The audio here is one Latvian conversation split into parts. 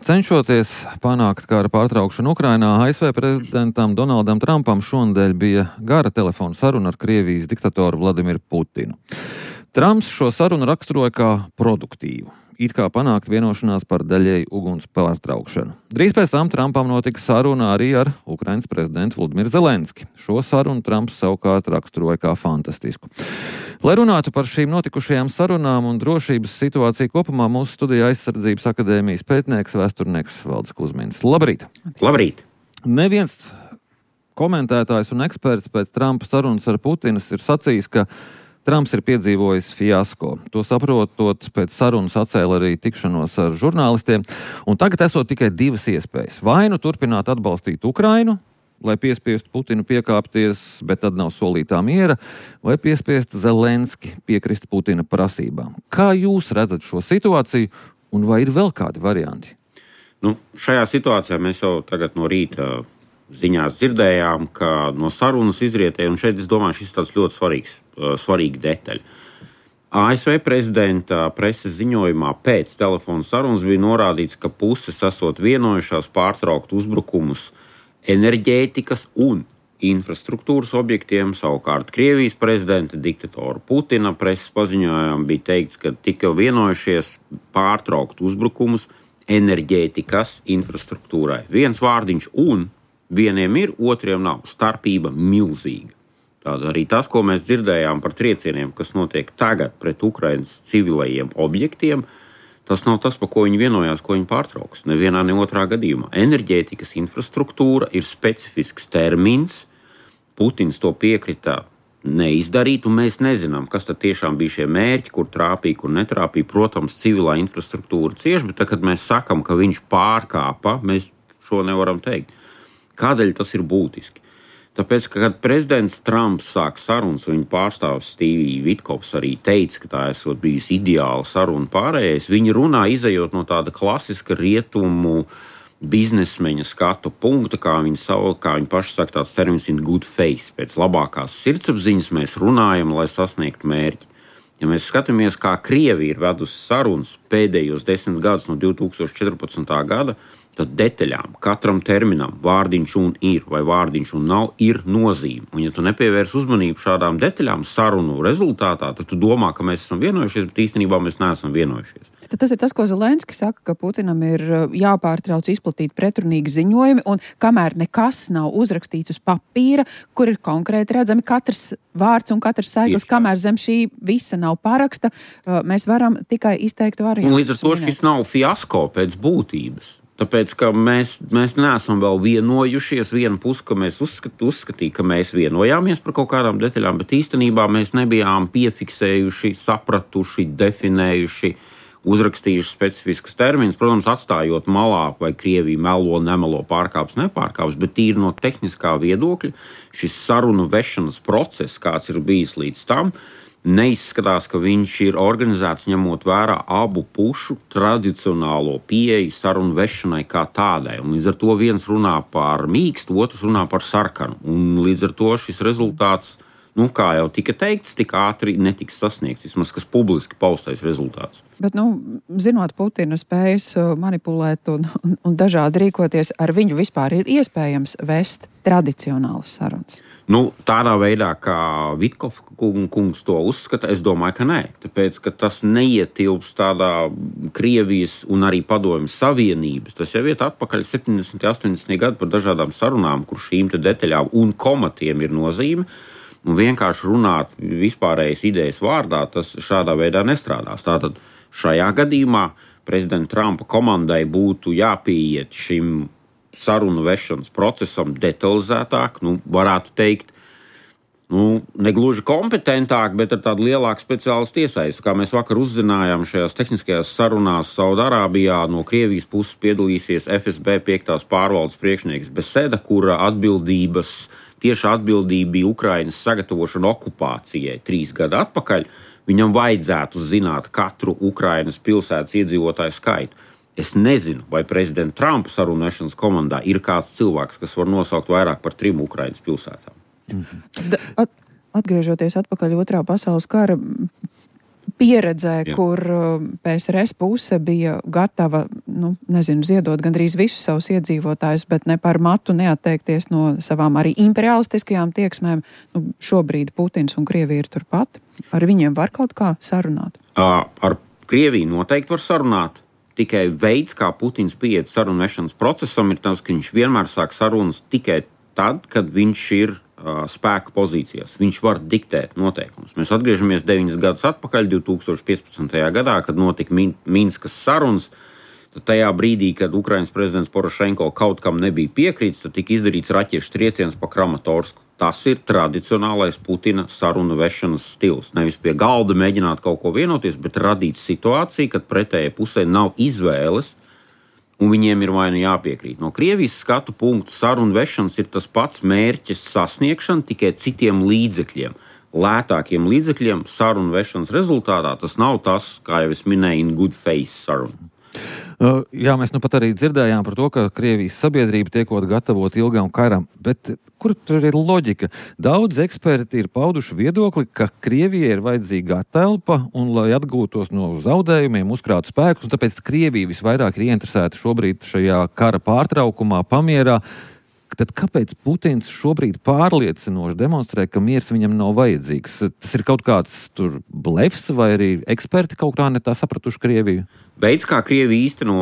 Cenšoties panākt kara pārtraukšanu Ukrainā, ASV prezidentam Donaldam Trumpam šonadēļ bija gara telefona saruna ar Krievijas diktatoru Vladimiru Putinu. Trumps šo sarunu raksturoja kā produktīvu, it kā panākt vienošanās par daļēju uguns pārtraukšanu. Drīz pēc tam Trumpam notika saruna arī ar Ukrainas prezidentu Volodimiru Zelenski. Šo sarunu Trumps savukārt raksturoja kā fantastisku. Lai runātu par šīm notikušajām sarunām un drošības situāciju kopumā, mūsu studijā Aizsardzības akadēmijas pētnieks, vēsturnieks Valdis Kuzmins. Labrīt! Labrīt! Neviens komentētājs un eksperts pēc Trumpa sarunas ar Putinu ir sacījis, ka Trumps ir piedzīvojis fiasko. To saprotot, pēc sarunas atcēla arī tikšanos ar žurnālistiem, un tagad esot tikai divas iespējas. Vai nu turpināt atbalstīt Ukrainu, lai piespiestu Putinu piekāpties, bet tad nav solītā miera, vai piespiest Zelenski piekrist Putina prasībām. Kā jūs redzat šo situāciju, un vai ir vēl kādi varianti? Šajā situācijā mēs jau tagad no rīta ziņās dzirdējām, ka no sarunas izrietēja, un šeit es domāju, šis tāds ļoti svarīga detaļa. ASV prezidenta preses ziņojumā pēc telefona sarunas bija norādīts, ka puses esot vienojušās pārtraukt uzbrukumus enerģētikas un infrastruktūras objektiem. Savukārt Krievijas prezidenta diktatora Putina preses paziņojumā bija teikts, ka tika vienojušies pārtraukt uzbrukumus enerģētikas infrastruktūrai. Viens vārdiņš un vieniem ir, otriem nav. Starpība milzīga. Tāda arī tas, ko mēs dzirdējām par triecieniem, kas notiek tagad pret Ukrainas civilajiem objektiem, tas nav tas, pa ko viņi vienojās, ko viņi pārtrauks. Nevienā, ne otrā gadījumā. Enerģētikas infrastruktūra ir specifisks termins. Putins to piekrita neizdarīt, un mēs nezinām, kas tad tiešām bija šie mērķi, kur trāpīja, kur netrāpīja. Protams, civilā infrastruktūra cieši, bet tad, kad mēs sakam, ka viņš pārkāpa, mēs šo nevaram teikt. Kādēļ tas ir būtiski? Tāpēc, ka, kad prezidents Trumps sāk sarunas, viņa pārstāvis Stevie Vitkovs arī teica, ka tā esot bijusi ideāla saruna pārējais, viņi runā izejot no tāda klasiska rietumu biznesmeņa skatu punkta, kā viņi paši saka, tāds termins in good faith. Pēc labākās sirdsapziņas mēs runājam, lai sasniegtu mērķi. Ja mēs skatāmies, kā Krievija ir vedusi sarunas pēdējos 10 gadus no 2014. gada, tad detaļām, katram terminam, vārdiņš un ir vai vārdiņš un nav, ir nozīme. Un ja tu nepievērs uzmanību šādām detaļām sarunu rezultātā, tad tu domā, ka mēs esam vienojušies, bet īstenībā mēs neesam vienojušies. Tad tas ir tas, ko Zelenski saka, ka Putinam ir jāpārtrauc izplatīt pretrunīgi ziņojumi, un kamēr nekas nav uzrakstīts uz papīra, kur ir konkrēti redzami katrs vārds un katrs sēklis, kamēr zem šī visa nav paraksta, mēs varam tikai izteikt variantus. Un līdz ar to šis nav fiasko pēc būtības. Tāpēc, ka mēs neesam vēl vienojušies, viena puse, ka mēs uzskatīja, ka mēs vienojāmies par kaut kādām detaļām, bet īstenībā mēs nebijām piefiksējuši, sapratuši, definējuši, uzrakstījuši specifiskus terminus. Protams, atstājot malā, vai Krievija melo, nemelo, pārkāps, nepārkāps, bet tīri no tehniskā viedokļa šis sarunu vešanas process, kāds ir bijis līdz tam, neizskatās, ka viņš ir organizēts ņemot vērā abu pušu tradicionālo pieeju sarunu vešanai kā tādai. Un līdz ar to viens runā par mīkstu, otrs runā par sarkanu. Un līdz ar to šis rezultāts, kā jau tika teikts, tik ātri netiks sasniegts, vismaz kas publiski paustais rezultāts. Bet, zinot Putina spējas manipulēt un dažādi rīkoties, ar viņu vispār ir iespējams vest tradicionālas sarunas? Tādā veidā, kā Vitkov kungs to uzskata, es domāju, ka nē. Tāpēc, ka tas neietilps tādā Krievijas un arī Padomju Savienības. Tas jau iet atpakaļ 70. 80. gadu par dažādām sarunām, kur šīm te detaļām un komatiem ir nozīme. Un vienkārši runāt vispārējas idejas vārdā, tas šādā veidā nestrādās. Tātad šajā gadījumā prezidenta Trumpa komandai būtu jāpieiet šim sarunu vešanas procesam detalizētāk, varētu teikt, negluži kompetentāk, bet ar tādu lielāku speciālistu iesaistu. Kā mēs vakar uzzinājām šajās tehniskajās sarunās Saudārābijā, no Krievijas puses piedalīsies FSB 5. pārvaldes priekšnieks Beseda, kura tieša atbildība bija Ukrainas sagatavošana okupācijai 3 gadu atpakaļ. Viņam vajadzētu zināt katru Ukrainas pilsētas iedzīvotāju skaitu. Es nezinu, vai prezidenta Trumpa sarunu vešanas komandā ir kāds cilvēks, kas var nosaukt vairāk par 3 Ukrainas pilsētām. Atgriežoties atpakaļ 2. pasaules kara pieredzē, kur PSRS puse bija gatava, ziedot gandrīz visus savus iedzīvotājus, bet ne par matu neatteikties no savām arī imperialistiskajām tieksmēm. Šobrīd Putins un Krievija ir turpat. Ar viņiem var kaut kā sarunāt? Ar Krieviju noteikti var sarunāt. Tikai veids, kā Putins pieiet sarunu vešanas procesam, ir tas, ka viņš vienmēr sāk sarunas tikai tad, kad viņš ir spēka pozīcijās. Viņš var diktēt noteikumus. Mēs atgriežamies 9 gadus atpakaļ, 2015. gadā, kad notika Minskas sarunas. Tad tajā brīdī, kad Ukrainas prezidents Porošenko kaut kam nebija piekrīts, tad tika izdarīts raķešu trieciens pa Kramatorsku. Tas ir tradicionālais Putina sarunu vešanas stils. Nevis pie galda mēģināt kaut ko vienoties, bet radīt situāciju, kad pretējai pusē nav izvēles, un viņiem ir vai nu jāpiekrīt. No Krievijas skatu punktu sarunu vešanas ir tas pats mērķis sasniegšana, tikai citiem līdzekļiem. Lētākiem līdzekļiem sarunu vešanas rezultātā tas nav tas, kā jau es minēju, in good faith sarunu. Jā, mēs pat arī dzirdējām par to, ka Krievijas sabiedrība tiekot gatavot ilgam karam, bet kur tur ir loģika? Daudz eksperti ir pauduši viedokli, ka Krievijai ir vajadzīga telpa un, lai atgūtos no zaudējumiem, uzkrātu spēkus, un tāpēc Krievija visvairāk ir ieinteresēta šobrīd šajā kara pārtraukumā, pamierā. Tad kāpēc Putins šobrīd pārliecinoši demonstrē, ka miers viņam nav vajadzīgs? Tas ir kaut kāds tur blefs, vai arī eksperti kaut kā ne tā sapratuši Krieviju? Veids, kā Krievija īsteno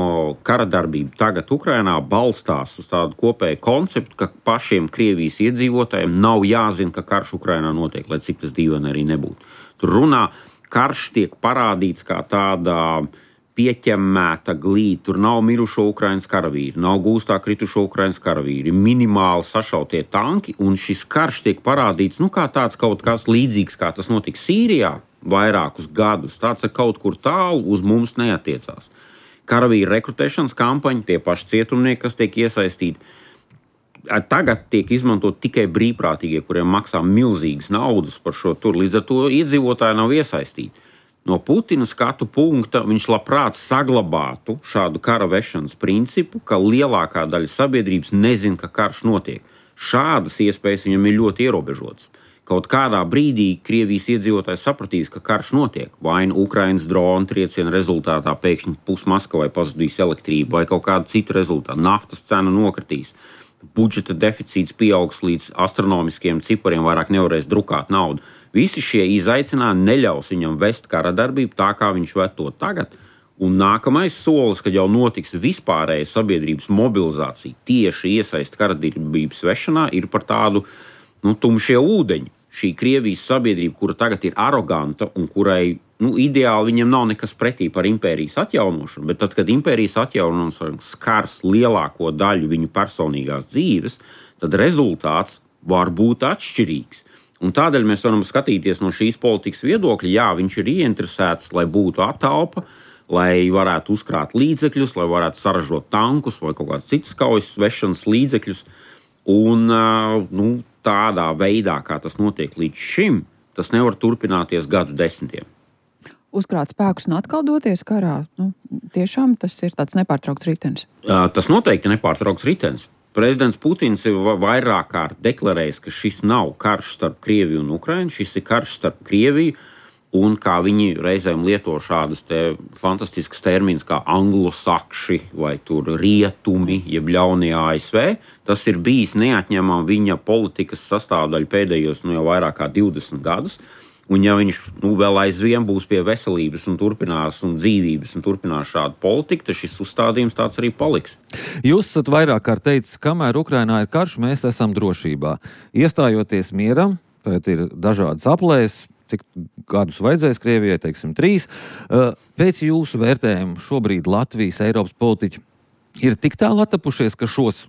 kara darbību tagad Ukrainā, balstās uz tādu kopēju konceptu, ka pašiem Krievijas iedzīvotājiem nav jāzina, ka karš Ukrainā notiek, lai cik tas dīvaini arī nebūtu. Tur runā, karš tiek parādīts kā tāda pieķemmēta glīta. Tur nav mirušo Ukrainas karavīri, nav gūstā kritušo Ukrainas karavīri, minimāli sašautie tanki, un šis karš tiek parādīts kā tāds kaut kas līdzīgs, kā tas notika Sīrijā vairākus gadus. Tāds ir kaut kur tālu, uz mums neatiecās. Karavīru rekrutēšanas kampaņa, tie paši cietumnieki, kas tiek iesaistīti, tagad tiek izmantot tikai brīvprātīgie, kuriem maksā milzīgas naudas par šo tur, līdz ar to iedzīvotāji nav iesaistīti. No Putina skatu punkta viņš labprāt saglabātu šādu kara vešanas principu, ka lielākā daļa sabiedrības nezina, ka karš notiek. Šādas iespējas viņam ir ļoti ierobežotas. Kaut kādā brīdī Krievijas iedzīvotājs sapratīs, ka karš notiek. Vai nu Ukrainas drona trieciena rezultātā pēkšņi Maskavai pazudīs elektrību, vai kaut kāda cita rezultāta. Naftas cena nokritīs. Budžeta deficīts pieaugs līdz astronomiskiem cipariem, vairāk nevarēs drukāt naudu. Visi šie izaicinājumi neļaus viņam vest kara darbību tā, kā viņš ved to tagad. Un nākamais solis, kad jau notiks vispārēja sabiedrības mobilizācija, tieši iesaist kara darbības vešanā, ir par tādu tumšie ūdeņi. Šī Krievijas sabiedrība, kura tagad ir aroganta un kurai ideāli viņam nav nekas pretī par impērijas atjaunošanu, bet tad, kad impērijas atjaunošana skars lielāko daļu viņu personīgās dzīves, tad rezultāts var būt atšķirīgs. Un tādēļ mēs varam skatīties no šīs politikas viedokļa, jā, viņš ir ieinteresēts, lai būtu atalpa, lai varētu uzkrāt līdzekļus, lai varētu saražot tankus vai kaut kādas citas kaujas vešanas līdzekļus. Un tādā veidā, kā tas notiek līdz šim, tas nevar turpināties gadu desmitiem. Uzkrāt spēkus un atkal doties karā, tiešām tas ir tāds nepārtraukts ritenis. Tas noteikti nepārtraukts ritenis. Prezidents Putins ir vairāk kārt deklarējis, ka šis nav karš starp Krieviju un Ukrainu, šis ir karš starp Krieviju, un kā viņi reizēm lieto šādas fantastiskas termins kā anglosakši vai tur rietumi, jeb ļaunie ASV, tas ir bijis neatņemama viņa politikas sastāvdaļa pēdējos jau vairāk kā 20 gadus. Un ja viņš vēl aizvien būs pie veselības un turpinās un dzīvības un turpinās šādu politiku, tad šis uzstādījums tāds arī paliks. Jūs esat vairāk kārt teicis, kamēr Ukrainā ir karš, mēs esam drošībā. Iestājoties mieram, tad ir dažādas aplēses, cik gadus vajadzēs Krievijai, 3. Pēc jūsu vērtējumu šobrīd Latvijas, Eiropas politiķi ir tik tālu attapušies, ka šos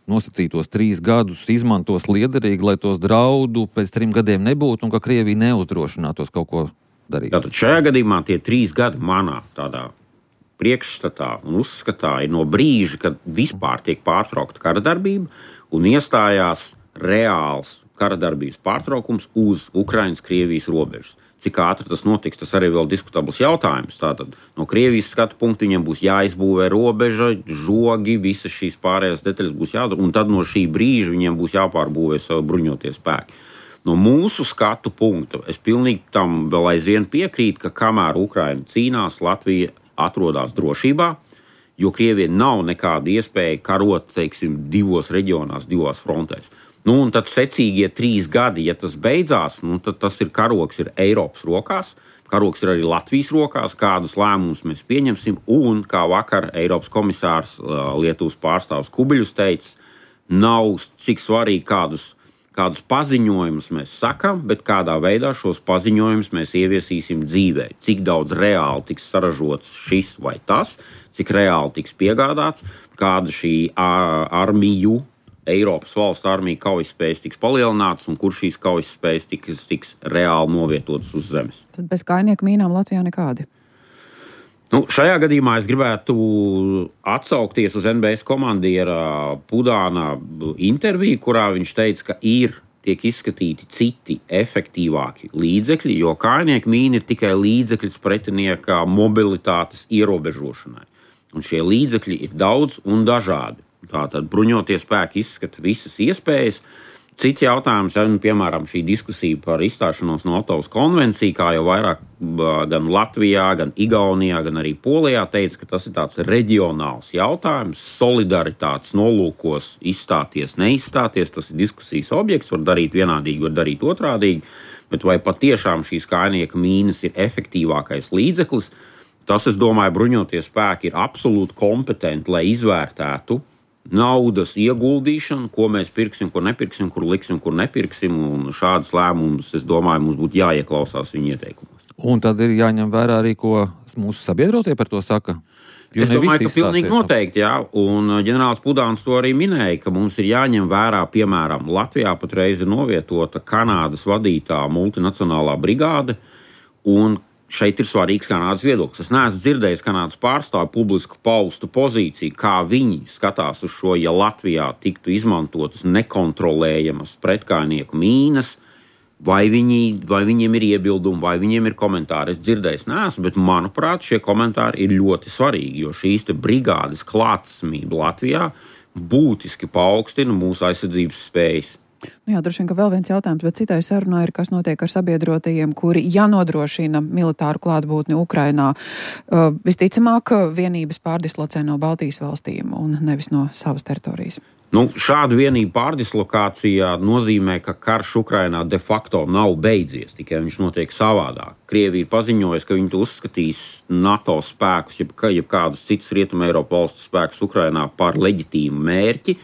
nosacītos 3 gadus izmantos liederīgi, lai tos draudu pēc 3 gadiem nebūtu un ka Krievija neuzdrošinātos kaut ko darīt. Tātad šajā gadījumā tie 3 gadi manā tādā priekšstatā un uzskatā ir no brīža, kad vispār tiek pārtraukta kara darbība un iestājās reāls kara darbības pārtraukums uz Ukrainas-Krievijas robežas. Cik ātri tas notiks, tas arī vēl diskutabls jautājums. Tātad no Krievijas skatu punkta viņiem būs jāizbūvē robeža, žogi, visas šīs pārējās detaļas būs jādara, un tad no šī brīža viņiem būs jāpārbūvē savu bruņotie spēki. No mūsu skatu punkta es pilnīgi tam vēl aizvien piekrītu, ka kamēr Ukraina cīnās, Latvija atrodas drošībā, jo Krievija nav nekāda iespēja karot, teiksim, divos reģionās, divās frontēs. Un tad secīgie 3 gadi, ja tas beidzās, tad tas karoks ir Eiropas rokās, karoks ir arī Latvijas rokās, kādus lēmumus mēs pieņemsim, un kā vakar Eiropas komisārs Lietuvas pārstāvs Kubiļus teica, nav cik svarīgi kādus paziņojumus mēs sakam, bet kādā veidā šos paziņojumus mēs ieviesīsim dzīvē. Cik daudz reāli tiks saražots šis vai tas, cik reāli tiks piegādāts, kāda šī Eiropas valstu armija kaujaspējas tiks palielināts un kur šīs kaujaspējas tiks reāli novietotas uz zemes. Tad bez kājnieku mīnām Latvijā nekādi? Šajā gadījumā es gribētu atsaukties uz NBS komandiera Pudāna interviju, kurā viņš teica, ka tiek izskatīti citi efektīvāki līdzekļi, jo kājnieku mīna ir tikai līdzekļs pretinieka mobilitātes ierobežošanai. Un šie līdzekļi ir daudz un dažādi. Tātad bruņotie spēki izskata visas iespējas. Cits jautājums, piemēram, šī diskusija par izstāšanos no Otavas konvenciju, kā jau vairāk gan Latvijā, gan Igaunijā, gan arī Polijā teica, ka tas ir tāds reģionāls jautājums, solidaritātes nolūkos izstāties, neizstāties, tas ir diskusijas objekts, var darīt vienādīgi, var darīt otrādīgi, bet vai patiešām šīs kājnieka mīnas ir efektīvākais līdzeklis, tas, es domāju, bruņotie spēki ir absolūti kompetenti, lai izvērtētu naudas ieguldīšanu, ko mēs pirksim, ko nepirksim, kur liksim, kur nepirksim, un šādas lēmumus, es domāju, mums būtu jāieklausās viņu ieteikumos. Un tad ir jāņem vērā arī, ko mūsu sabiedrotie par to saka. Es domāju, ka pilnīgi noteikti, jā, un ģenerālis Pudāns to arī minēja, ka mums ir jāņem vērā, piemēram, Latvijā patreiz ir novietota Kanādas vadītā multinacionālā brigāde, un šeit ir svarīgs Kanādas viedoklis. Es neesmu dzirdējis Kanādas pārstāvu publisku paustu pozīciju, kā viņi skatās uz šo, ja Latvijā tiktu izmantotas nekontrolējamas pretkājnieku mīnas, vai viņiem ir iebildumi, vai viņiem ir komentāri. Es dzirdējis neesmu, bet manuprāt, šie komentāri ir ļoti svarīgi, jo šīs brigādes klātesamība Latvijā būtiski paaugstina mūsu aizsardzības spējas. Jā, droši vien, ka vēl viens jautājums, bet citai sarunā ir, kas notiek ar sabiedrotajiem, kuri jānodrošina militāru klātbūtni Ukrainā. Visticamāk, vienības pārdislocē no Baltijas valstīm un nevis no savas teritorijas. Šāda vienība pārdislokācija nozīmē, ka karš Ukrainā de facto nav beidzies, tikai viņš notiek savādāk. Krievija ir paziņojusi, ka viņi uzskatīs NATO spēkus, jeb kādus citus Rietumē Eiropas valstu spēkus Ukrainā par leģitīmu mērķi.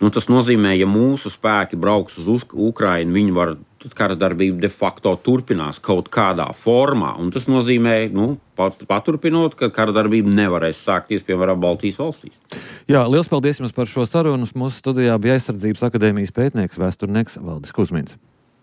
Tas nozīmē, ja mūsu spēki brauks uz Ukrainu, viņi var, tad kara darbība de facto turpinās kaut kādā formā. Un tas nozīmē, paturpinot, ka kara darbība nevarēs sākties, piemēram, Baltijas valstīs. Jā, liels paldies jums par šo sarunu. Mūsu studijā bija Aizsardzības akadēmijas pētnieks, vēsturnieks Valdis Kusmins.